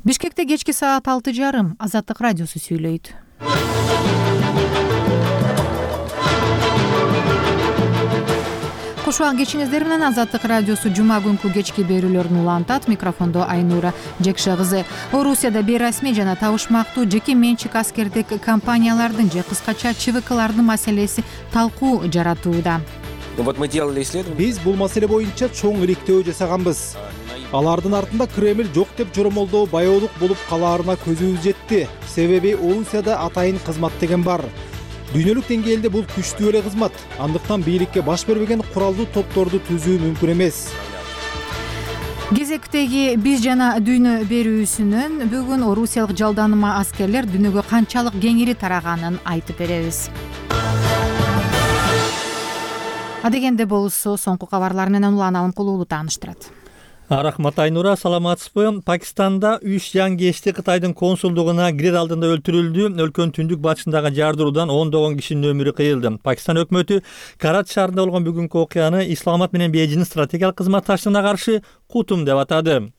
Бишкекте кечки саат 6:30 Азаттык радиосу сүйлөйт. Куш убак кечиңиздер менен Азаттык радиосу жума күнкү кечки берүүлөрүн улантат. Микрофондо Айнура Жекше кызы. Орусияда бейрасмий жана табышмактуу жеке менчик аскердик компаниялардын же кыскача ЧВКлардын маселеси талкуу жаратууда. Биз бул маселе боюнча чоң иликтөө жасаганбыз. Алардын артында Кремль жок деп жоромолдоо баяолук болуп калаарына көзүбүз жетти. Себеби Орусияда атайын кызмат деген бар. Дүйнөлүк деңгээлде бул күчтүү эле кызмат. Андыктан бийликке баш бербеген куралдуу топторду түзүү мүмкүн эмес. Кезектеги биз жана дүйнө берүүсүнөн бүгүн орусиялык жалданыма аскерлер дүйнөгө канчалык кеңири тараганын айтып беребиз. Адегенде болсо соңку кабарлар менен Улан Алымкулуулу тааныштырат. Рахмат Айнура, саламатсызбы? Пакистанда 3 жангечти Кытайдын консулдугуна кирер алдында өлтүрүлдү. Өлкөнүн түндүк батышындагы жардыруудан 10 кишинин өмүрү кыйылды. Пакистан өкмөтү Карачи шаарында болгон бүгүнкү окуяны Исламабад менен Бейжиңдин стратегиялык кызматташтыгына каршы кутум деп атады.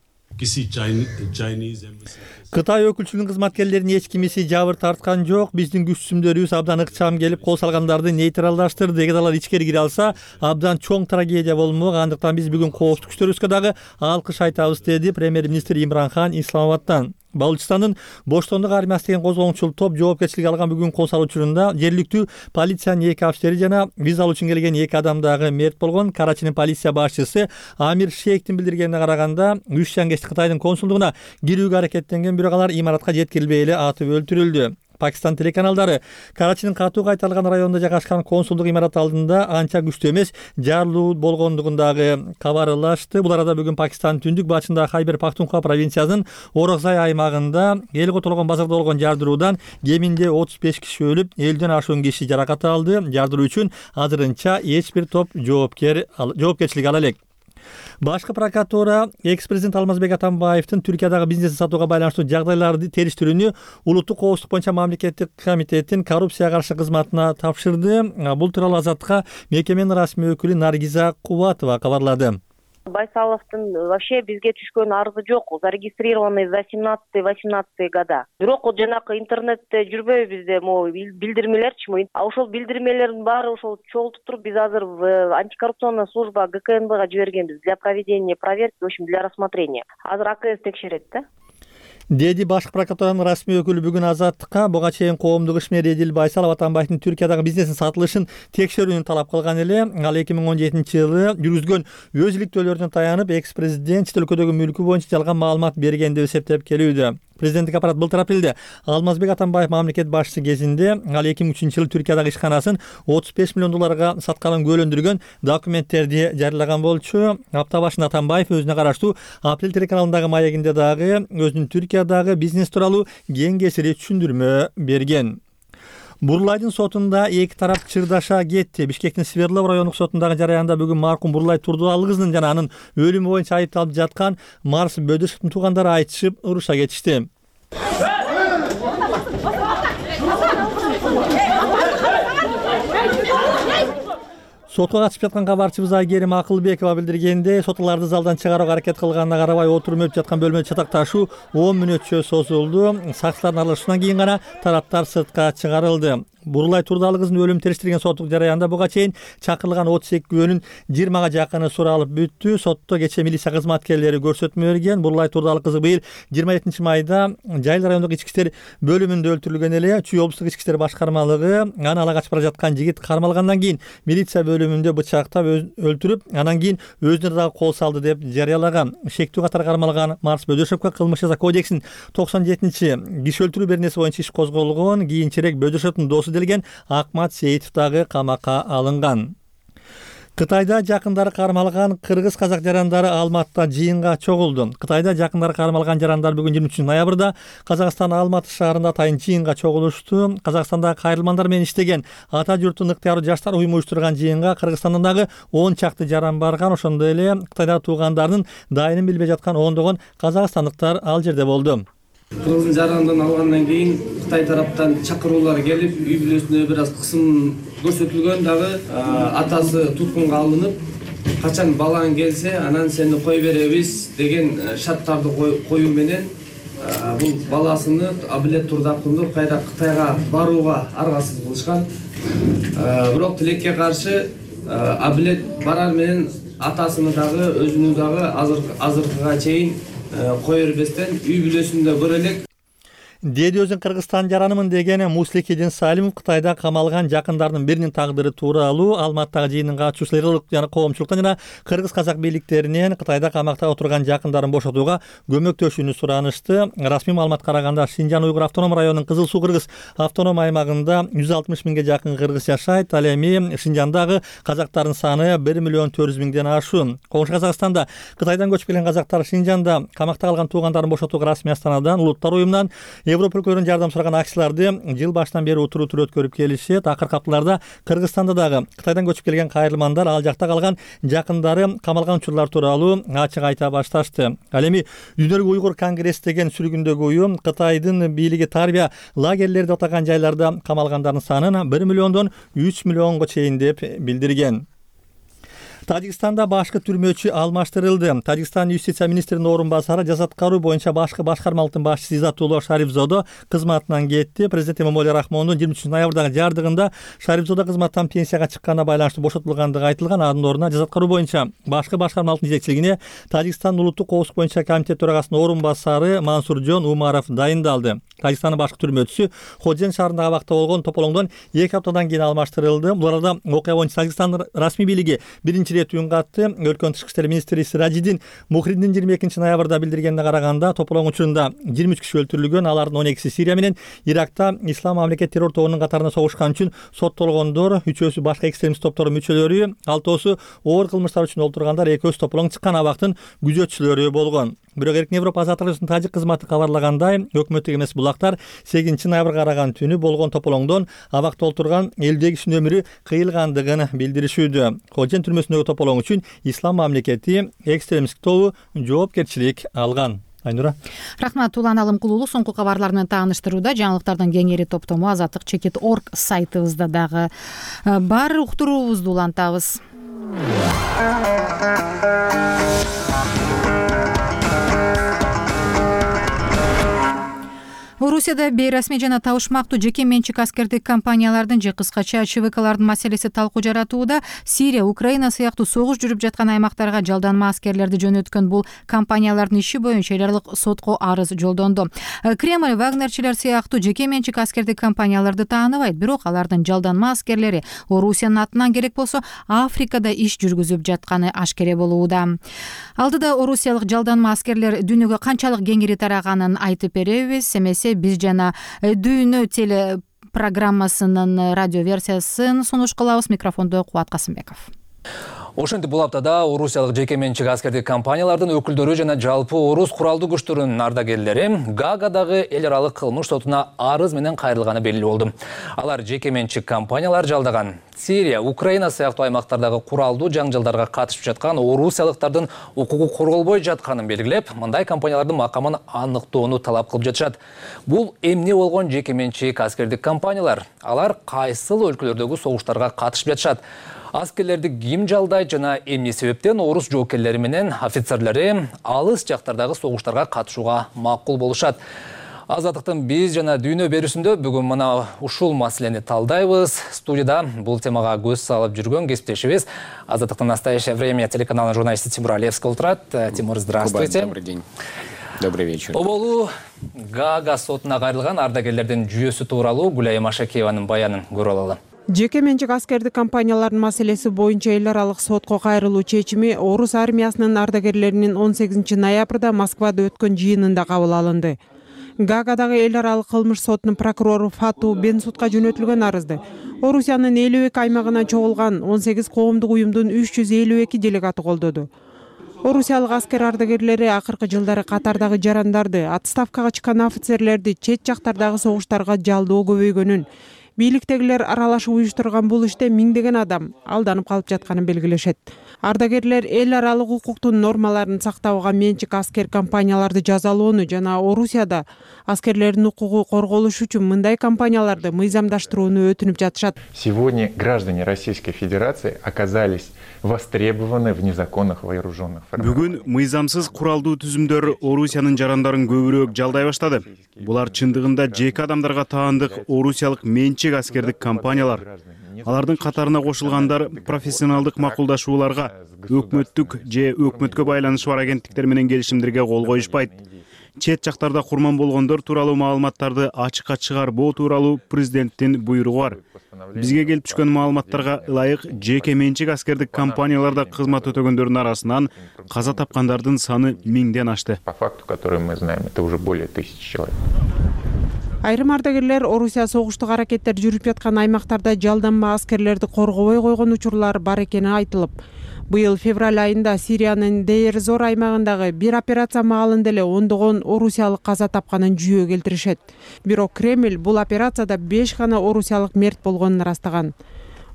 Кытай өкүлчүлүгүнүн кызматкерлеринин эч кимиси жабыр тарткан жок. Биздин күч-түзүмдөрүбүз абдан ыкчам келип, кол салгандарды нейтралдаштырды. Эгер алар ичкери кире алса, абдан чоң трагедия болмок. Андыктан биз бүгүн коопсуздук күчтөрүбүзгө дагы алкыш айтабыз, деди премьер-министр Имран Хан Исламабадтан. Балучистандын Боштондук армиясы деген козголоңчул топ жоопкерчилик алган бүгүн кол салуу учурунда жергиликтүү полициянын 2 офицери жана виза алуу үчүн келген 2 адам дагы мерт болгон. Карачинин полиция башчысы Амир Шейхтин билдиргенине караганда 3 жангечти Кытайдын консулдугуна кирүүгө аракеттенген, бирок алар имаратка жеткирилбей эле атып өлтүрүлдү. Пакистан телеканалдары Карачинин катуу кайтарылган районунда жайгашкан консулдук имарат алдында анча күчтүү эмес жарылуу болгондугундагы кабарлашты. Бул арада бүгүн Пакистандын түндүк батышындагы Хайбер Пахтунхва провинциясынын Орокзай аймагында эл котолгон базарда болгон жардыруудан кеминде 35 киши өлүп, 50ден ашуун киши жаракат алды. Жардыруу үчүн азырынча эч бир топ жоопкерчилик ала элек. Башкы прокуратура экс-президент Алмазбек Атамбаевдин Түркиядагы бизнесин сатууга байланыштуу жагдайларды териштирүүнү Улуттук коопсуздук боюнча мамлекеттик комитеттин коррупцияга каршы кызматына тапшырды. Бул тууралуу Азаттыкка мекеменин расмий өкүлү Наргиза Кубатова кабарлады. Байсаловдун вообще бизге түшкөн арызы жок, зарегистрированный за 17-18 года. Бирок жанакы интернетте жүрбөйбү бизде билдирмелерчи, ошол билдирмелердин баары ошол чогултуп туруп биз азыр антикоррупционная служба ГКНБга жибергенбиз для проведения проверки, в общем, для рассмотрения. Азыр АКС текшерет да. Деди башкы прокуратуранын расмий өкүлү бүгүн Азаттыкка. Буга чейин коомдук ишмер Эдил Байсалов Атамбаевдин Түркиядагы бизнесин сатылышын текшерүүнү талап кылган эле. Ал 2017-жылы жүргүзгөн өз иликтөөлөрүнө таянып, экс-президент чет өлкөдөгү мүлкү боюнча жалган маалымат берген деп эсептеп келүүдө. Президенттик аппарат былтыр апрелде Алмазбек Атамбаев мамлекет башчысы кезинде ал 2003-жылы Түркиядагы ишканасын 35 миллион долларга сатканын күбөлөндүргөн документтерди жарыялаган болчу. Апта башында Атамбаев өзүнө караштуу Апрель телеканалындагы маегинде дагы өзүнүн Түркиядагы бизнес тууралуу кең кесири түшүндүрмө берген. Бурлайдын сотунда эки тарап чырдаша кетти. Бишкектин Свердлов райондук сотундагы жараянда бүгүн маркум Бурлай Турдуалы кызынын жана анын өлүмү боюнча айыпталып жаткан Марс Бөдөшевдин туугандары айтышып, уруша кетишти. Сотко катышып жаткан кабарчыбыз Айгерим Акылбекова билдиргенде, сотларды залдан чыгарууга аракет кылганына карабай отуруп өтүп жаткан бөлмөдө чатакташуу 10 мүнөтчө созулду. Сакчылардын аралашуусунан кийин гана тараптар сыртка чыгарылды. Бурлай Турдуалы кызын өлүм териштирген соттук жараянда буга чейин чакырылган 32 күбөнүн 20га жакыны суралып бүттү. Сотто кечээ милиция кызматкерлери көрсөтмө берген. Бурлай Турдуалы кызы быйыл 27 майда Жайыл райондук ички иштер бөлүмүндө өлтүрүлгөн эле. Чүй облустук ички иштер башкармалыгы аны ала качып бара жаткан жигит кармалгандан кийин милиция бөлүмүндө бычактап өлтүрүп, анан кийин өзүнө дагы кол салды деп жарыялаган. Шектүү катары кармалган Марс Бөдөшевке кылмыш жаза кодексинин 97-киши өлтүрүү беренеси боюнча иш козголгон. Кийинчерээк Бөдөшевдин досу делген Акмат Сейитов дагы камакка алынган. Кытайда жакындары кармалган кыргыз-казак жарандары Алматыда жыйынга чогулду. Кытайда жакындары кармалган жарандар бүгүн 23 ноябрда Казакстан Алматы шаарында атайын жыйынга чогулушту. Казакстандагы кайрылмандар менен иштеген ата журттун ыктыяруу жаштар уюму уюштурган жыйынга Кыргызстандан дагы 10 чакты жаран барган. Ошондой эле Кытайда туугандарынын дайынын билбей жаткан ондогон казакстандыктар ал жерде болду. Кыргыздын жарандан алгандан кийин Кытай тараптан чакыруулар келип, үй бүлөсүнө бир аз кысым көрсөтүлгөн. Дагы атасы туткунга алынып, качан балаң келсе, анан сени кой беребиз деген шарттарды коюу менен бул баласыны Абилет Турдакунду кайра Кытайга барууга аргасыз кылышкан. Бирок тилекке каршы Абилет барар менен атасыны дагы өзүнү дагы азыркыга чейин кое бербестен үй бүлөсүндө көрө элек. Деди өзүн Кыргызстан жаранымын деген Муслих Салимов Кытайда камалган жакындардын биринин тагдыры тууралуу Алматыдагы жыйындын катчусулары жана коомчулуктан жана кыргыз казак бийликтеринен Кытайда камакта отурган жакындарын бошотууга көмөктөшүүнү суранышты. Расмий маалымат караганда Шинжан Уйгур автоном районунун Кызыл Суу кыргыз автоном аймагында 160 миңге жакын кыргыз жашайт. Ал эми Шинжандагы казактардын саны 1 миллион 400 миңден ашуун. Коңшу Казакстанда Кытайдан көчүп келген казактар Шинжанда камакта калган туугандарын бошотууга расмий астанадан Улуттар уюмунан Европа өлкөлөрүнүн жардам сураган акцияларды жыл башынан бери утур өткөрүп келишет. Акыркы апталарда Кыргызстанда дагы Кытайдан көчүп келген кайрылмандар ал жакта калган жакындары камалган учурлар тууралуу ачык айта башташты. Ал эми Дүйнөлүк уйгур конгресс деген сүргүндөгү уюм Кытайдын бийлиги тарбия лагерлери деп атаган жайларда камалгандардын санын 1 миллиондон 3 миллионго чейин деп билдирген. Тажикстанда башкы түрмөчү алмаштырылды. Тажикстан юстиция министринин орун басары жаза аткаруу боюнча башкы башкармалыктын башчысы Иззатулло Шарифзодо кызматынан кетти. Президент Эмомали Рахмондун 23 ноябрдагы жардыгында Шарифзодо кызматтан пенсияга чыкканына байланыштуу бошотулгандыгы айтылган. Анын ордуна жаза аткаруу боюнча башкы башкармалыктын жетекчилигине Тажикстан улуттук коопсуздук боюнча комитет төрагасынын орун басары Мансуржон Умаров дайындалды. Тажикстандын башкы түрмөчүсү Ходжен шаарындагы абакта болгон тополоңдон 2 аптадан кийин алмаштырылды. Бул арада окуя боюнча Тажикстандын расмий бийлиги биринчи рет үн катты. Өлкөнүн тышкы иштер министри Сиражиддин Мухриддин 22 ноябрда билдиргенине караганда тополоң учурунда 23 киши өлтүрүлгөн. Алардын 12си Сирия менен Иракта Ислам мамлекет террор тобунун катарында согушкан үчүн соттолгондор, 3-өсү башка экстремист топтордун мүчөлөрү, 6-оосу оор кылмыштар үчүн олтургандар, 2-өсү тополоң чыккан абактын күзөтчүлөрү болгон. Бирок Эркин Европа азаттык жашоосунун тажик кызматы кабарлагандай, өкмөттүк эмес булактар 8 ноябрга караган түнү болгон тополоңдон абакта олтурган 50 кишинин өмүрү кыйылгандыгын билдиришүүдө. Ходжен түрмөсүндөгү тополоң үчүн Ислам мамлекети экстремисттик тобу жоопкерчилик алган. Айнура. Рахмат, Улан Алымкулуулу соңку кабарлар менен тааныштырууда. Жаңылыктардын кеңири топтому azatlyk.org сайтыбызда дагы бар. Уктуруубузду улантабыз. Орусияда бейрасмий жана табышмактуу жеке менчик аскердик компаниялардын же кыскача ЧВКлардын маселеси талкуу жаратууда. Сирия, Украина сыяктуу согуш жүрүп жаткан аймактарга жалданма аскерлерди жөнөткөн бул компаниялардын иши боюнча эл аралык сотко арыз жолдонду. Кремль Вагнерчилер сыяктуу жеке менчик аскердик компанияларды тааныбайт, бирок алардын жалданма аскерлери Орусиянын атынан керек болсо Африкада иш жүргүзүп жатканы ашкере болууда. Алдыда орусиялык жалданма аскерлер дүйнөгө канчалык кеңири тараганын айтып беребиз. Эмесе биз жана Дүйнө теле программасынын радио версиясын сунуш кылабыз. Микрофондо Кубат Касымбеков. Ошентип бул аптада орусиялык жеке менчик аскердик компаниялардын өкүлдөрү жана жалпы орус куралдуу күчтөрүнүн ардагерлери Гаагадагы эл аралык кылмыш сотуна арыз менен кайрылганы белгилүү болду. Алар жеке менчик компаниялар жалдаган Сирия, Украина сыяктуу аймактардагы куралдуу жаңжалдарга катышып жаткан орусиялыктардын укугу корголбой жатканын белгилеп, мындай компаниялардын макамын аныктоону талап кылып жатышат. Бул эмне болгон жеке менчик аскердик компаниялар? Алар кайсыл өлкөлөрдөгү согуштарга катышып жатышат? Аскерлерди ким жалдайт жана эмне себептен орус жоокерлери менен офицерлери алыс жактардагы согуштарга катышууга макул болушат? Азаттыктын биз жана Дүйнө берүүсүндө бүгүн мына ушул маселени талдайбыз. Студияда бул темага көз салып жүргөн кесиптешибиз Азаттыктын «Настоящее время» телеканалынын журналисти Тимур Алевский отурат. Тимур, здравствуйте. Добрый день. Добрый вечер. Оболу Гаага сотуна кайрылган ардагерлердин жүйөсү тууралуу Гүлайым Ашакееванын баянын көрүп алалы. Жеке менчик аскердик компаниялардын маселеси боюнча эл аралык сотко кайрылуу чечими орус армиясынын ардагерлеринин 18 ноябрда Москвада өткөн жыйынында кабыл алынды. Гаагадагы эл аралык кылмыш сотунун прокурору Фату Бенсудка жөнөтүлгөн арызды Орусиянын 52 аймагынан чогулган 18 коомдук уюмдун 352 делегаты колдоду. Орусиялык аскер ардагерлери акыркы жылдары катардагы жарандарды, отставкага чыккан офицерлерди чет жактардагы согуштарга жалдоо көбөйгөнүн, бийликтегилер аралашып уюштурган бул иште миңдеген адам алданып калып жатканын белгилешет. Ардагерлер эл аралык укуктун нормаларын сактабаган менчик аскер компанияларды жазалоону жана Орусияда аскерлердин укугу корголуш үчүн мындай компанияларды мыйзамдаштырууну өтүнүп жатышат. Сегодня граждане Российской Федерации оказались востребованы в незаконных вооруженных формированиях. Бүгүн мыйзамсыз куралдуу түзүмдөр Орусиянын жарандарын көбүрөөк жалдай баштады. Булар чындыгында жеке адамдарга таандык орусиялык менчик аскердик компаниялар. Алардын катарына кошулгандар профессионалдык макулдашууларга, өкмөттүк же өкмөткө байланышы бар агенттиктер менен келишимдерге кол коюшпайт. Чет жактарда курман болгондор тууралуу маалыматтарды ачыкка чыгарбоо тууралуу президенттин буйругу бар. Бизге келип түшкөн маалыматтарга ылайык жеке менчик аскердик компанияларда кызмат өтөгөндөрдүн арасынан каза тапкандардын саны 1000ден ашты. По факту, который мы знаем, это уже более 1000 человек. Айрым ардагерлер Орусия согуштук аракеттер жүрүп жаткан аймактарда жалданма аскерлерди коргобой койгон учурлар бар экени айтылып, быйыл февраль айында Сириянын Дейр-Зор аймагындагы бир операция маалында эле ондогон орусиялык каза тапканын жүйө келтиришет. Бирок Кремль бул операцияда 5 гана орусиялык мерт болгонун ырастаган.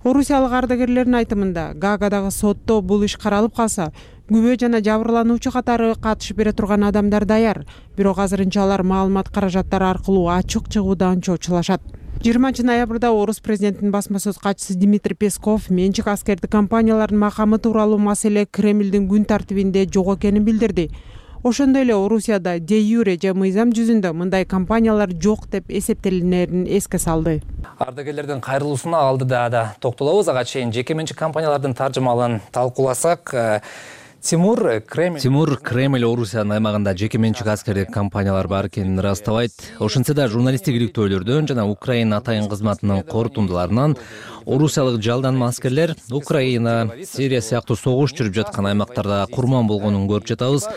Орусиялык ардагерлердин айтымында, Гаагадагы сотто бул иш каралып калса, күбө жана жабырлануучу катары катышып бере турган адамдар даяр. Бирок азырынча алар маалымат каражаттары аркылуу ачык чыгуудан чочулашат. 20-ноябрда орус президентинин басма сөз катчысы Дмитрий Песков менчик аскердик компаниялардын макамы тууралуу маселе Кремлдин күн тартибинде жок экенин билдирди. Ошондой эле Орусияда де юре же мыйзам жүзүндө мындай компаниялар жок деп эсептелинерин эске салды. Ардагерлердин кайрылуусуна алдыда да токтолобуз. Ага чейин жеке менчик компаниялардын таржымалын талкууласак, Тимур Кремль Орусиянын аймагында жеке менчик аскердик компаниялар бар экенин ырастабайт. Ошентсе да журналисттик иликтөөлөрдөн жана Украина атайын кызматынын корутундуларынан орусиялык жалданма аскерлер Украина, Сирия сыяктуу согуш жүрүп жаткан аймактарда курман болгонун көрүп жатабыз.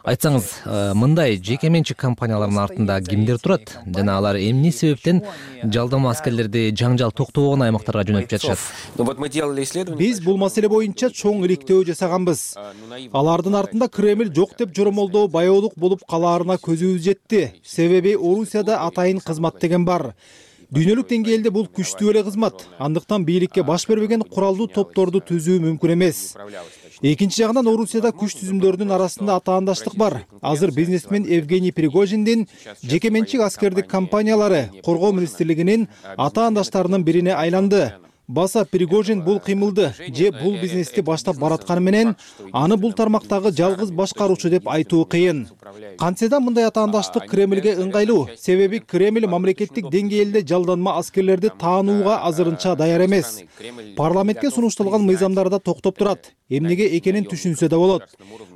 Айтсаңыз, мындай жеке менчик компаниялардын артында кимдер турат жана алар эмне себептен жалданма аскерлерди жаңжал токтобогон аймактарга жөнөтүп жатышат? Биз бул маселе боюнча чоң иликтөө жасаганбыз. Алардын артында Кремль жок деп жоромолдоо баяолук болуп калаарына көзүбүз жетти. Себеби Орусияда атайын кызмат деген бар. Дүйнөлүк деңгээлде бул күчтүү эле кызмат. Андыктан бийликке баш бербеген куралдуу топторду түзүү мүмкүн эмес. Экинчи жагынан Орусияда күч түзүмдөрүнүн арасында атаандаштык бар. Азыр бизнесмен Евгений Пригожиндин жеке менчик аскердик компаниялары коргоо министрлигинин атаандаштарынын бирине айланды. Баса Пригожин бул кыймылды же бул бизнести баштап баратканы менен аны бул тармактагы жалгыз башкаруучу деп айтуу кыйын. Кантсе да мындай атаандаштык Кремлге ыңгайлуу. Себеби Кремль мамлекеттик деңгээлде жалданма аскерлерди таанууга азырынча даяр эмес. Парламентке сунушталган мыйзамдарда токтоп турат. Эмнеге экенин түшүнсө да болот.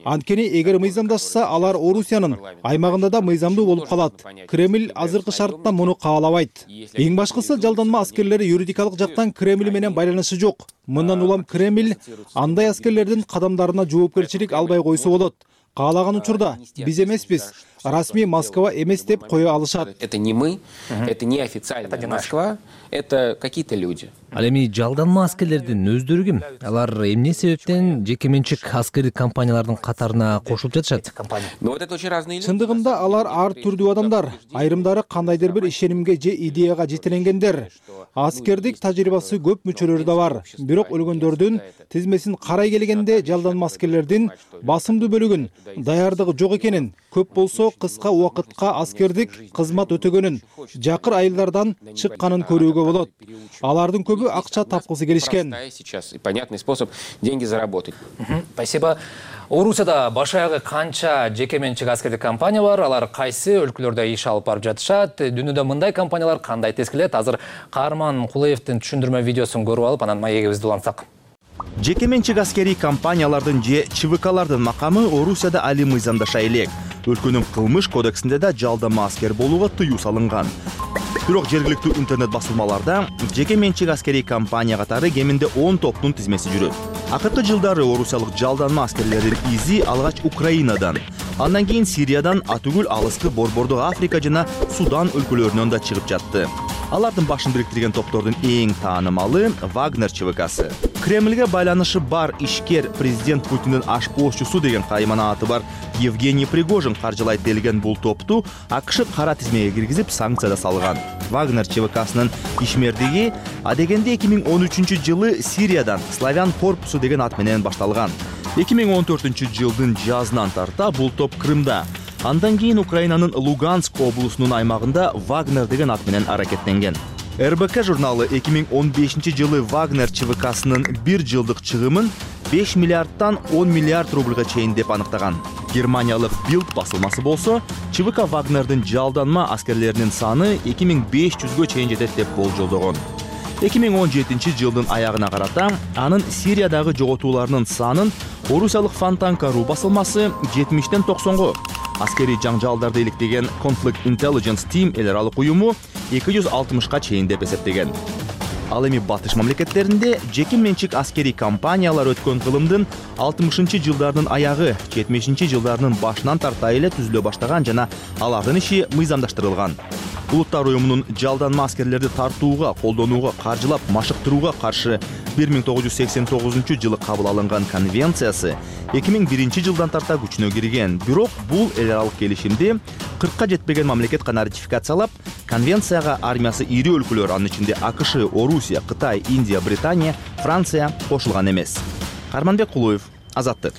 Анткени эгер мыйзамдашса, алар Орусиянын аймагында да мыйзамдуу болуп калат. Кремль азыркы шартта муну каалабайт. Эң башкысы жалданма аскерлери юридикалык жактан Кремль менен байланышы жок. Мындан улам Кремль андай аскерлердин кадамдарына жоопкерчилик албай койсо болот. Каалаган учурда биз эмеспиз, расмий Москва эмес деп кое алышат. Это не мы, это не официальная Москва, это какие-то люди. Ал эми жалданма аскерлердин өздөрү ким? Алар эмне себептен жеке менчик аскердик компаниялардын катарына кошулуп жатышат? Но вот это очень разные люди. Чындыгында алар ар түрдүү адамдар. Айрымдары кандайдыр бир ишенимге же идеяга жетиленгендер. Аскердик тажрыйбасы көп мүчөлөрү да бар. Бирок өлгөндөрдүн тизмесин карай келгенде жалданма аскерлердин басымдуу бөлүгүн даярдыгы жок экенин, көп болсо кыска убакытка аскердик кызмат өтөгөнүн, жакыр айылдардан чыкканын көрүүгө болот. Алардын көбү акча тапкысы келишкен. Сейчас понятный способ деньги заработать. Спасибо. Орусияда баш аягы канча жеке менчик аскердик компания бар, алар кайсы өлкөлөрдө иш алып барып жатышат? Дүйнөдө мындай компаниялар кандай тескилет? Азыр Каарман Кулаевдин түшүндүрмө видеосун көрүп алып, анан маегибизди улантсак. Жеке менчик аскерий компаниялардын же ЧВКлардын макамы Орусияда али мыйзамдаша элек. Өлкөнүн кылмыш кодексинде да жалданма аскер болууга тыюу салынган. Бирок жергиликтүү интернет басылмаларда жеке менчик аскерий компания катары кеминде 10 топтун тизмеси жүрөт. Акыркы жылдары орусиялык жалданма аскерлердин изи алгач Украинадан, андан кийин Сириядан, атүгүл алыскы Борбордук Африка жана Судан өлкөлөрүнөн да чыгып жатты. Алардын башын бириктирген топтордун эң таанымалы Вагнер ЧВКсы. Кремльге байланышы бар ишкер президент Путиндин ашпоозчусу деген каймана аты бар Евгений Пригожин каржылайт делген бул топту АКШ кара тизмеге киргизип санкцияда салган. Вагнер ЧВКсынын ишмердиги адегенде 2013-жылы Сириядан Славян корпусу деген ат менен башталган. 2014-жылдын жазынан тарта бул топ Крымда, андан кийин Украинанын Луганск облусунун аймагында Вагнер деген ат менен аракеттенген. РБК журналы 2015-жылы Вагнер ЧВКсынын 1 жылдык чыгымын 5 миллиардтан 10 миллиард рубльга чейин деп аныктаган. Германиялык Bild басылмасы болсо, ЧВК Вагнердин жалданма аскерлеринин саны 2500гө чейин жетет деп болжолдогон. 2017-жылдын аягына карата анын Сириядагы жоготууларынын санын орусиялык Фонтанка.ру басылмасы 70ден 90го, аскери жаңжалдарды иликтеген Conflict Intelligence Team эл аралык уюму 260га чейин деп эсептеген. Ал эми батыш мамлекеттеринде жеке менчик аскери компаниялар өткөн кылымдын 60-жылдардын аягы, 70-жылдардын башынан тарта эле түзүлө баштаган жана алардын иши мыйзамдаштырылган. Улуттар уюмунун жалданма аскерлерди тартууга, колдонууга, каржылап, машыктырууга каршы 1989-жылы кабыл алынган конвенциясы 2001-жылдан тарта күчүнө кирген. Бирок бул эл аралык келишимди 40ка жетпеген мамлекет гана ратификациялап, конвенцияга армиясы ири өлкөлөр, анын ичинде АКШ, Орусия, Кытай, Индия, Британия, Франция кошулган эмес. Карманбек Кулуев, Азаттык.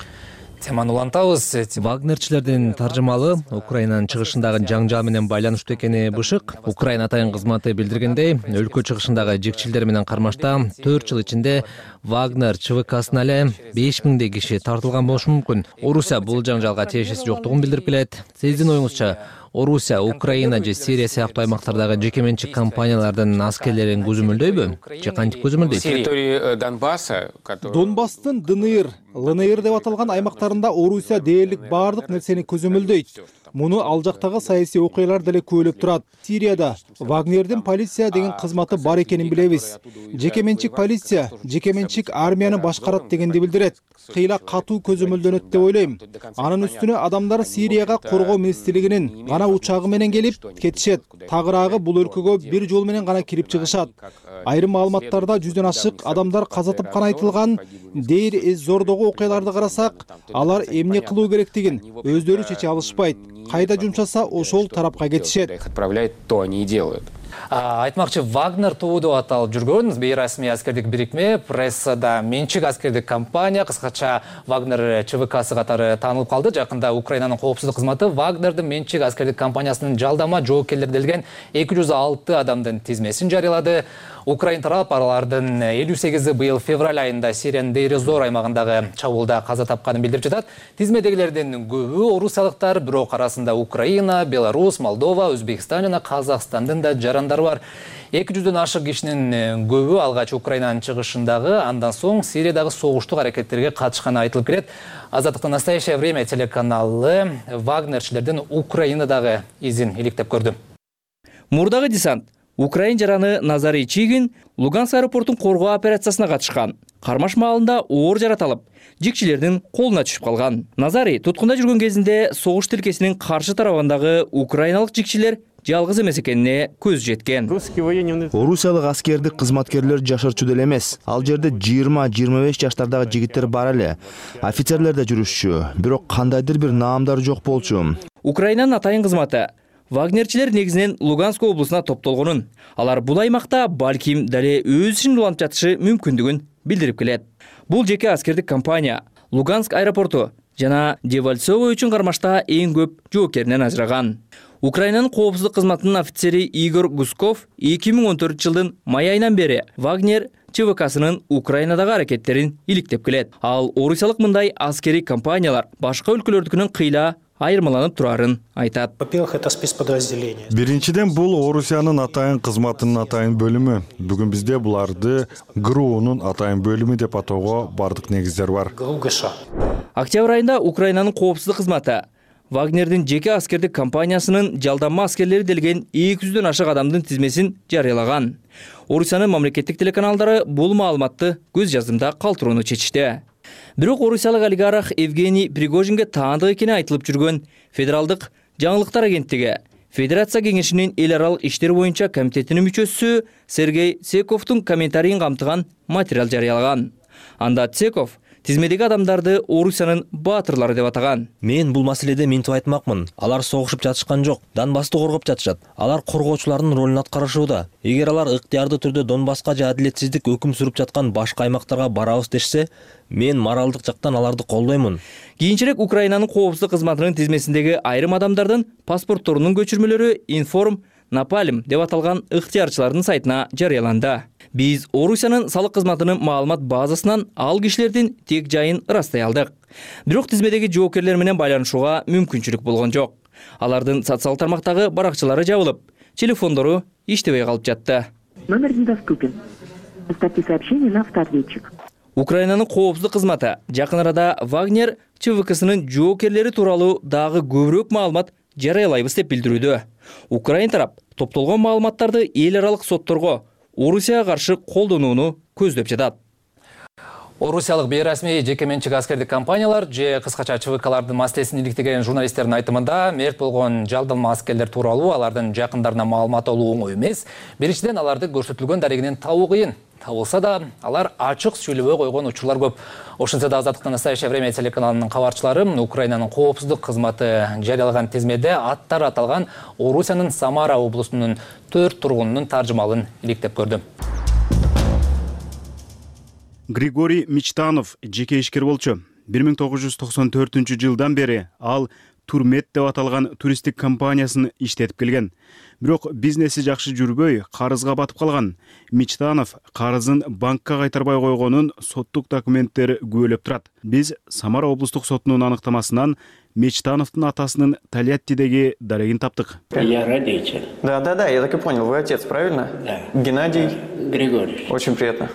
Теманы улантабыз. Вагнерчилердин таржымалы Украинанын чыгышындагы жаңжал менен байланыштуу экени бышык. Украина атайын кызматы билдиргендей, өлкө чыгышындагы жекчилдер менен кармашта 4 жыл ичинде Вагнер ЧВКсына эле 5000 киши тартылган болушу мүмкүн. Орусия бул жаңжалга тиешеси жоктугун билдирип келет. Сиздин оюңузча, Орусия, Украина же Сирия сыяктуу аймактардагы жеке менчик компаниялардын аскерлерин көзөмөлдөйбү? Же кантип көзөмөлдөйт? Территории Донбасса, Донбасстын ДНР, ЛНР деп аталган аймактарында Орусия дээрлик баардык нерсени көзөмөлдөйт. Муну ал жактагы саясий окуялар деле күбөлөп турат. Сирияда Вагнердин полиция деген кызматы бар экенин билебиз. Жеке менчик полиция, жеке менчик армияны башкарат дегенди билдирет. Кыйла катуу көзөмөлдөнөт деп ойлойм. Анын үстүнө адамдар Сирияга коргоо министрлигинин гана учагы менен келип кетишет. Тагыраагы бул өлкөгө бир жол менен гана кирип чыгышат. Айрым маалыматтарда 100дөн ашык адамдар каза тапканы айтылган. Дейр Эз-Зордогу окуяларды карасак, алар эмне кылуу керектигин өздөрү чече алышпайт. Кайда жумшаса ошол тарапка кетишет. Отправляют, то они и делают. Айтмакчы, Вагнер тобу деп аталып жүргөн бейрасмий аскердик бирикме, прессада менчик аскердик компания, кыскача Вагнер ЧВКсы катары таанылып калды. Жакында Украинанын коопсуздук кызматы Вагнердин менчик аскердик компаниясынын жалдама жоопкерлери делген 206 адамдын тизмесин жарыялады. Украин тарап алардын 58-и быйыл февраль айында Сириянын Дейр-эз-Зор аймагындагы чабуулда каза тапканын билдирип жатат. Тизмедегилердин көбү орусиялыктар, бирок арасында Украина, Беларусь, Молдова, Өзбекстан жана Казакстандын да жарандары бар. 200дөн ашык кишинин көбү алгач Украинанын чыгышындагы, андан соң Сириядагы согуштук аракеттерге катышканы айтылып келет. Азаттыктын «Настоящее время» телеканалы Вагнерчилердин Украинадагы изин иликтеп көрдү. Мурдагы десант Украин жараны Назарий Чигин Луганск аэропортун коргоо операциясына катышкан. Кармаш маалында оор жараталып, жикчилердин колуна түшүп калган. Назарий туткунда жүргөн кезинде согуш тилкесинин каршы тарабындагы украиналык жикчилер жалгыз эмес экенине көз жеткен. Орусиялык аскердик кызматкерлер жашырчу деле эмес. Ал жерде 20-25 жаштардагы жигиттер бар эле. Офицерлер да жүрүшчү, бирок кандайдыр бир наамдары жок болчу. Украинанын атайын кызматы Вагнерчилер негизинен Луганск облусуна топтолгонун, алар бул аймакта балким дале өз ишин улантып жатышы мүмкүндүгүн билдирип келет. Бул жеке аскердик компания Луганск аэропорту жана Дебальцево үчүн кармашта эң көп жоокеринен ажыраган. Украинанын коопсуздук кызматынын офицери Игорь Гусков 2014-жылдын май айынан бери Вагнер ЧВКсынын Украинадагы аракеттерин иликтеп келет. Ал орусиялык мындай аскери компаниялар башка өлкөлөрдүкүнөн кыйла айырмаланып турарын айтат. Биринчиден бул Орусиянын атайын кызматынын атайын бөлүмү. Бүгүн бизде буларды ГРУнун атайын бөлүмү деп атоого бардык негиздер бар. Октябрь айында Украинанын коопсуздук кызматы Вагнердин жеке аскердик компаниясынын жалданма аскерлери делген 200дөн ашык адамдын тизмесин жарыялаган. Орусиянын мамлекеттик телеканалдары бул маалыматты көз жаздымда калтырууну чечишти. Бирок орусиялык олигарх Евгений Пригожинге таандык экени айтылып жүргөн Федералдык жаңылыктар агенттиги Федерация кеңешинин эл аралык иштер боюнча комитетинин мүчөсү Сергей Цековдун комментарийин камтыган материал жарыялаган. Анда Цеков тизмедеги адамдарды Орусиянын баатырлары деп атаган. Мен бул маселеде мынтип айтмакмын. Алар согушуп жатышкан жок. Донбассты коргоп жатышат. Алар коргоочулардын ролун аткарышууда. Эгер алар ыктыярдуу түрдө Донбасска же адилетсиздик өкүм сүрүп жаткан башка аймактарга барабыз дешсе, мен моралдык жактан аларды колдоймун. Кийинчерээк Украинанын коопсуздук кызматынын тизмесиндеги айрым адамдардын паспортторунун көчүрмөлөрү Информ Напалм деп аталган ыктыярчылардын сайтына жарыяланды. Биз Орусиянын салык кызматынын маалымат базасынан ал кишилердин тек жайын ырастай алдык. Бирок тизмедеги жоокерлер менен байланышууга мүмкүнчүлүк болгон жок. Алардын социалдык тармактагы баракчалары жабылып, телефондору иштебей калып жатты. Номер недоступен. Оставьте сообщение на автоответчик. Украинанын коопсуздук кызматы жакын арада Вагнер ЧВКсынын жоокерлери тууралуу дагы көбүрөөк маалымат жарыялайбыз деп билдирүүдө. Украин тарап топтолгон маалыматтарды эл аралык сотторго Орусияга каршы колдонууну көздөп жатат. Орусиялык бейрасмий жеке менчик аскердик компаниялар же кыскача ЧВКлардын маселесин иликтеген журналисттердин айтымында мерт болгон жалдалма аскерлер тууралуу алардын жакындарына маалымат алуу оңой эмес. Биринчиден аларды көрсөтүлгөн дарегинен табуу кыйын. Табылса да, алар ачык сүйлөбөй койгон учурлар көп. Ошентсе да Азаттыктын Настоящее время телеканалынын кабарчылары Украинанын коопсуздук кызматы жарыялаган тизмеде аттары аталган Орусиянын Самара облусунун 4 тургунунун таржымалын иликтеп көрдү. Григорий Мечтанов жеке ишкер болчу. 1994-жылдан бери ал Турмет деп аталган туристтик компаниясын иштетип келген. Бирок бизнеси жакшы жүрбөй, карызга батып калган. Мечтанов карызын банкка кайтарбай койгонун соттук документтери күбөлөп турат. Биз Самара облустук сотунун аныктамасынан Мечтановдун атасынын Тольяттидеги дарегин таптык. Я родитель. Да, я так и понял. Вы отец, правильно? Да. Геннадий Григорьевич. Очень приятно.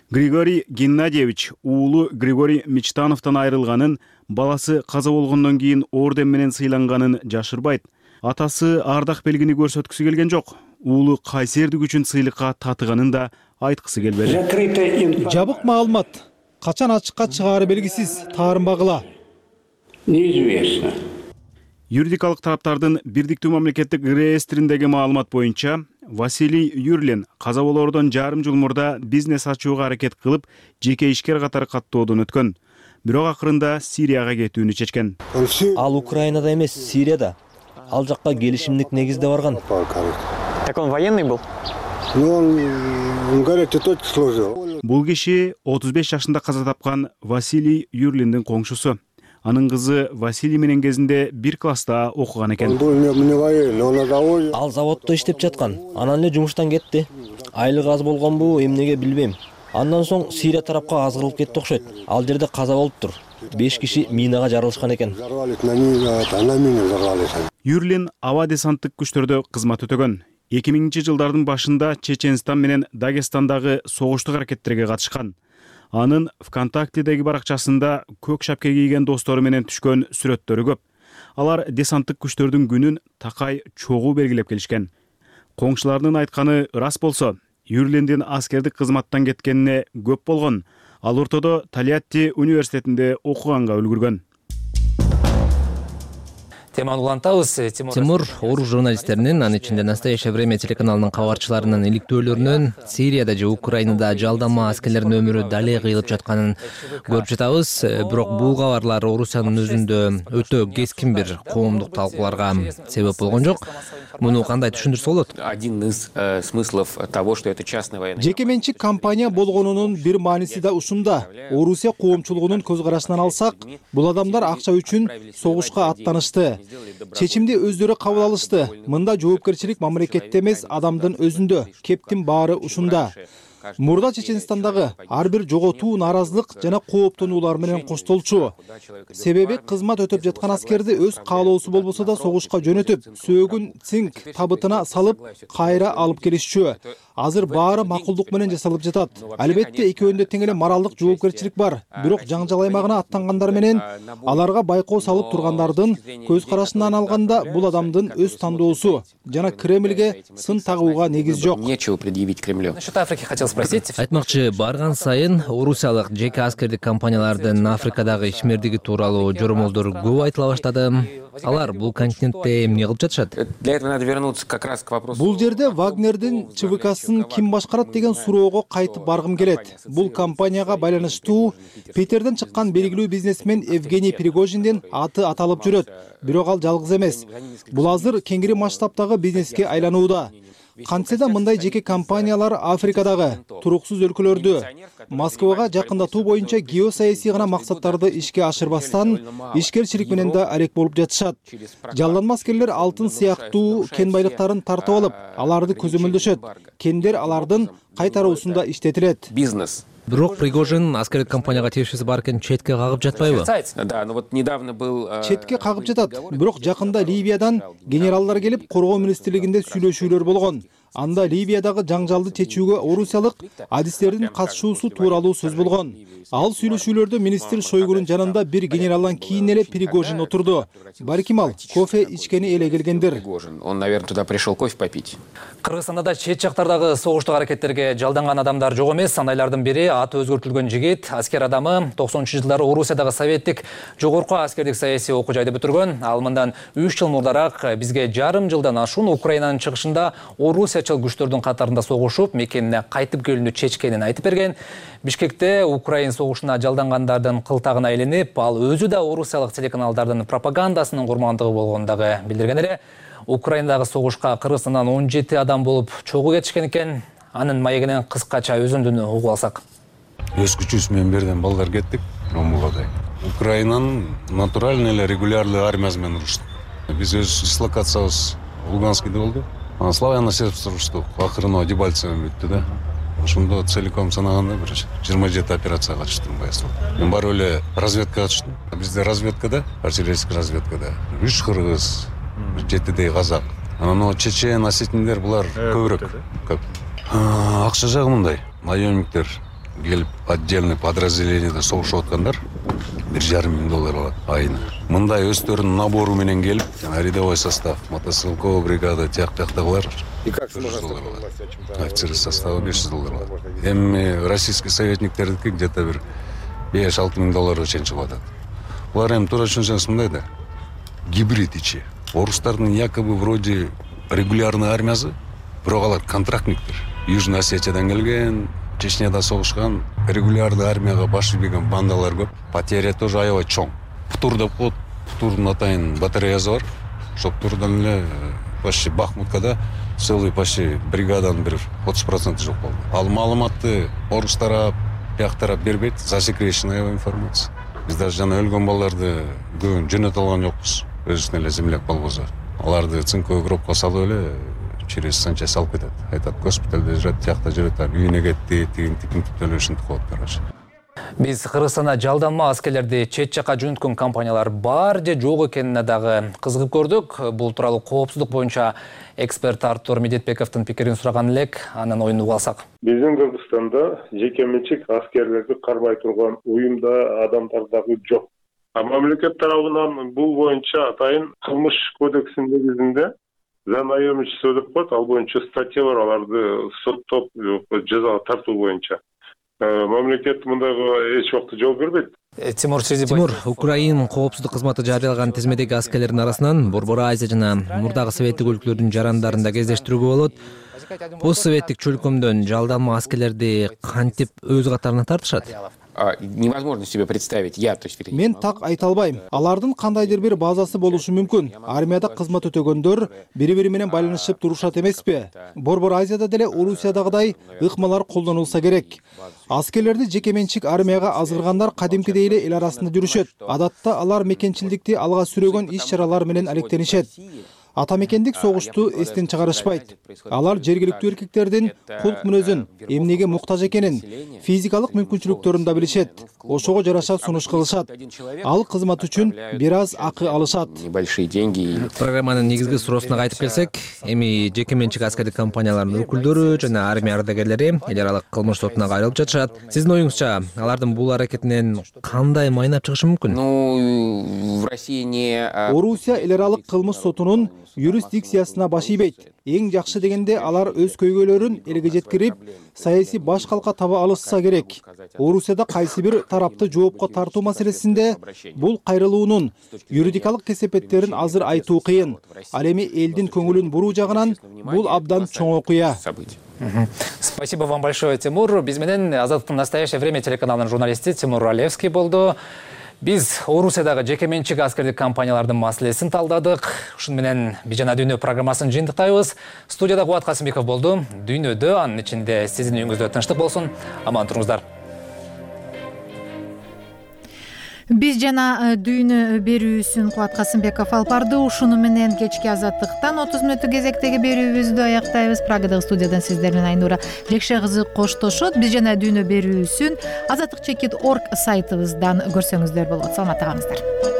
Григорий Геннадьевич уулу Григорий Мечтановдон айрылганын, баласы каза болгондон кийин орден менен сыйланганын жашырбайт. Атасы ардак белгини көрсөткүсү келген жок. Уулу кайсердик үчүн сыйлыкка татыганын да айткысы келбеди. Жабык маалымат. Качан ачыкка чыгаары белгисиз, таарынбагыла. Неизвестно. Юридикалык тараптардын бирдиктүү мамлекеттик реестриндеги маалымат боюнча Василий Юрлин каза болоордон жарым жыл мурда бизнес ачууга аракет кылып, жеке ишкер катары каттоодон өткөн. Бирок акырында Сирияга кетүүнү чечкен. Ал Украинада эмес, Сирияда. Ал жакка келишимдик негизде барган. Так он военный был? Он говорит, ты точно служил. Бул киши 35 жашында каза тапкан Василий Юрлиндин коңшусу. Анын кызы Василий менен кезинде бир класста окуган экен. Ал заводдо иштеп жаткан. Анан эле жумуштан кетти. Айлыгы аз болгонбу, эмнеге билбейм. Андан соң Сирия тарапка азгырылып кетти окшойт. Ал жерде каза болуптур. 5 киши минага жарылышкан экен. Юрлин аба десанттык күчтөрдө кызмат өтөгөн. 2000-жылдардын башында Чеченстан менен Дагестандагы согуштук аракеттерге катышкан. Анын ВКонтактедеги баракчасында көк шапке кийген достору менен түшкөн сүрөттөрү көп. Алар десанттык күчтөрдүн күнүн такай чогуу белгилеп келишкен. Коңшулардын айтканы рас болсо, Юрлиндин аскердик кызматтан кеткенине көп болгон. Ал ортодо Тольятти университетинде окуганга үлгүргөн. Теманы улантабыз. Тимур орус журналисттеринин, анын ичинде Настоящее время телеканалынын кабарчыларынын иликтөөлөрүнөн Сирияда же Украинада жалдама аскерлердин өмүрү дале кыйылып жатканын көрүп жатабыз. Бирок бул кабарлар Орусиянын өзүндө өтө кескин бир коомдук талкууларга себеп болгон жок. Муну кандай түшүндүрсө болот? Один из смыслов того, что это частная военная. Жеке менчик компания болгонунун бир мааниси да ушунда. Орусия коомчулугунун көз карашынан алсак, бул адамдар акча үчүн согушка аттанышты. Чечимди өздөрү кабыл алышты. Мында жоопкерчилик мамлекетте эмес, адамдын өзүндө. Кептин баары ушунда. Мурда Чеченстандагы ар бир жоготуу, нааразылык жана кооптонуулар менен коштолчу. Себеби кызмат өтөп жаткан аскерди өз каалоосу болбосо да согушка жөнөтүп, сөөгүн цинк табытына салып, кайра алып келишчү. Азыр баары макулдук менен жасалып жатат. Албетте экөөндө тең эле моралдык жоопкерчилик бар. Бирок жаңжал аймагына аттангандар менен аларга байкоо салып тургандардын көз карашынан алганда бул адамдын өз тандоосу жана Кремльге сын тагууга негиз жок. Нечего предъявить Кремлю. Насчет Африки хотел хотел спросить. Айтмакчы, барган сайын орусиялык жеке аскердик компаниялардын Африкадагы ишмердиги тууралуу жоромолдор көп айтыла баштады. Алар бул континентте эмне кылып жатышат? Для этого надо вернуться как раз к вопросу. Бул жерде Вагнердин ЧВКсын ким башкарат деген суроого кайтып баргым келет. Бул компанияга байланыштуу Питерден чыккан белгилүү бизнесмен Евгений Пригожиндин аты аталып жүрөт. Бирок ал жалгыз эмес. Бул азыр кеңири масштабтагы бизнеске айланууда. Кантсе да мындай жеке компаниялар Африкадагы туруксуз өлкөлөрдү Москвага жакындатуу боюнча геосаясий гана максаттарды ишке ашырбастан ишкерчилик менен да арек болуп жатышат. Жалданма аскерлер алтын сыяктуу кен байлыктарын тартып алып, аларды көзөмөлдөшөт. Кендер алардын кайтаруусунда иштетилет. Бизнес. Бирок Пригожин аскердик компанияга тиешеси бар экен, четке кагып жатпайбы? Да, но вот недавно был... Четке кагып жатат. Бирок жакында Ливиядан генералдар келип, коргоо министрлигинде сүйлөшүүлөр болгон. Анда Ливиядагы жаңжалды чечүүгө орусиялык адистердин катышуусу тууралуу сөз болгон. Ал сүйлөшүүлөрдө министр Шойгунун жанында бир генералдан кийин эле Пригожин отурду. Балким ал кофе ичкени эле келгендир. Он, наверное, туда пришел кофе попить. Кыргызстанда да чет жактардагы согуштук аракеттерге жалданган адамдар жок эмес. Андайлардын бири аты өзгөртүлгөн жигит, аскер адамы 90-жылдары Орусиядагы советтик жогорку аскердик саясий окуу жайды бүтүргөн. Ал мындан 3 жыл мурдараак бизге жарым жылдан ашуун Украинанын чыгышында орусиячыл күчтөрдүн катарында согушуп, мекенине кайтып келүүнү чечкенин айтып берген. Бишкекте Украин согушуна жалдангандардын кылтагына илинип, ал өзү да орусиялык телеканалдардын пропагандасынын курмандыгы болгонун дагы билдирген эле. Украинадагы согушка Кыргызстандан 17 адам болуп чогуу кетишкен экен. Анын маегинен кыскача өзүндүнү угуп алсак. Өз күчүбүз менен берден балдар кеттик. Ромулгадай. Украинанын натуральный эле регулярный армиясы менен уруштук. Биз өз дислокациябыз Луганскийде болду. Славяно-сербский уруштук. Акырында Дебальцево бүттү да. Ошондо целиком санаганда бир 27 операцияга катыштым баясыл. Мен барып эле разведкага катыштым. Бизде разведкада, артиллерийский разведкада 3 кыргыз, 7 казак. Анан чечен, осетиндер булар көбүрөөк. Көп. Акча жагы мындай. Наемниктер келип отдельный подразделениеде согушуп аткандар $1,5 алат айына. Мындай өздөрүнүн набору менен келип, рядовой состав, мотострелковая бригада, тияктагылар. И как сможет офицер состава $500 алат. Эми российский советниктердики где-то бир $5-6 чейин чыгып атат. Булар эми туура түшүнсөңүз мындай да. Гибрид ичи. Орустардын якобы вроде регулярный армиясы, бирок алар контрактниктер. Южный Осетиядан келген, Чечняда согушкан, регулярный армияга баш ийген бандалар көп. Потеря тоже аябай чоң. Птур деп коет. Птурдун атайын батареясы бар. Ошол Птурдан эле почти Бахмуткада целый почти бригаданын бир 30% жок болду. Ал маалыматты орус тарап, бияк тарап бербейт. Засекреченная информация. Биз даже жана өлгөн балдарды көбүн жөнөтө алган жокпуз. Өзүнүн эле земляк болбосо. Аларды цинковый гробко салып эле через санчасть алып кетет. Айтат, госпитальде жүрөт, тиякта жүрөт, үйүнө кетти, тигин төлөө ушинтип коет, короче. Биз Кыргызстанда жалданма аскерлерди чет жакка жөнөткөн компаниялар бар же жок экенине дагы кызыгып көрдүк. Бул тууралуу коопсуздук боюнча эксперт Артур Медетбековдун пикирин сураган элек, анын оюн угуп алсак. Биздин Кыргызстанда жеке менчик аскерлерди кармай турган уюмда адамдар дагы жок. Мамлекет тарабынан бул боюнча атайын кылмыш кодексинин негизинде наемничество деп коет, ал боюнча статья бар, аларды соттоп жазага тартуу боюнча. Мамлекет мындайга эч убакта жооп бербейт. Тимур, Украин коопсуздук кызматы жарыялаган тизмедеги аскерлердин арасынан Борбор Азия жана мурдагы советтик өлкөлөрдүн жарандарын да кездештирүүгө болот. Постсоветтик чөлкөмдөн жалданма аскерлерди кантип өз катарына тартышат? Невозможно себе представить. Мен так айта албайм. Алардын кандайдыр бир базасы болушу мүмкүн. Армияда кызмат өтөгөндөр бири-бири менен байланышып турушат эмеспи? Борбор Азияда деле Орусиядагыдай ыкмалар колдонулса керек. Аскерлерди жеке менчик армияга азыргандар кадимкидей эле эл арасында жүрүшөт. Адатта алар мекенчилдикти алга сүрөгөн иш-чаралар менен алектенишет. Атамекендик согушту эстен чыгарышпайт. Алар жергиликтүү эркектердин кулк мүнөзүн, эмнеге муктаж экенин, физикалык мүмкүнчүлүктөрүн да билишет. Ошого жараша сунуш кылышат. Ал кызмат үчүн бир аз акы алышат. Небольшие деньги. Программанын негизги суроосуна кайтып келсек, эми жеке менчик аскердик компаниялардын өкүлдөрү жана армия ардагерлери эл аралык кылмыш сотуна кайрылып жатышат. Сиздин оюңузча, алардын бул аракетинен кандай майнап чыгышы мүмкүн? В России не... Орусия эл аралык кылмыш сотунун юрисдикциясына баш ийбейт. Эң жакшы дегенде алар өз көйгөйлөрүн элге жеткирип, саясий баш калка таба алышса керек. Орусияда кайсы бир тарапты жоопко тартуу маселесинде бул кайрылуунун юридикалык кесепеттерин азыр айтуу кыйын. Ал эми элдин көңүлүн буруу жагынан бул абдан чоң окуя. Спасибо вам большое, Тимур. Биз менен Азаттыктын «Настоящее время» телеканалынын журналисти Тимур Алевский болду. Биз Орусиядагы жеке менчик аскердик компаниялардын маселесин талдадык. Ушун менен Бижана Дүйнө программасын жыйынтыктайбыз. Студияда Кубат Касымбеков болду. Дүйнөдө, анын ичинде сиздин үйүңүздө тынчтык болсун. Аман туруңуздар. Биз жана Дүйнө берүүсүн Кубат Касымбеков алып барды. Ушуну менен кечки Азаттыктан 30 мүнөттүк кезектеги берүүбүздү аяктайбыз. Прагадагы студиядан сиздер менен Айнура Жекше кызы коштошот. Биз жана Дүйнө берүүсүн Азаттык.org сайтыбыздан көрсөңүздөр болот. Саламатта калыңыздар.